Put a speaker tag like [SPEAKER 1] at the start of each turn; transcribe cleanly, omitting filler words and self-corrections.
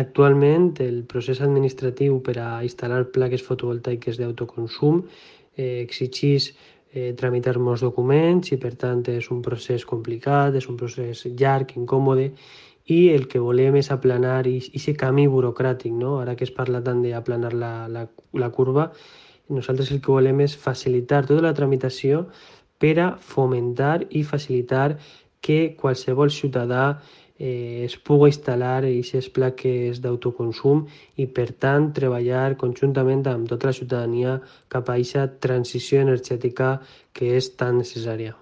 [SPEAKER 1] Actualment, el procés administratiu per a instal·lar plaques fotovoltaiques d'autoconsum exigeix tramitar molts documents i, per tant, és un procés complicat, és un procés llarg, incòmode, i el que volem és aplanar aquest camí burocràtic, no? Ara que es parla tant d'aplanar la curva, nosaltres el que volem és facilitar tota la tramitació per a fomentar i facilitar que qualsevol ciutadà es pugui instal·lar aquestes plaques d'autoconsum i, per tant, treballar conjuntament amb tota la ciutadania cap a aquesta transició energètica que és tan necessària.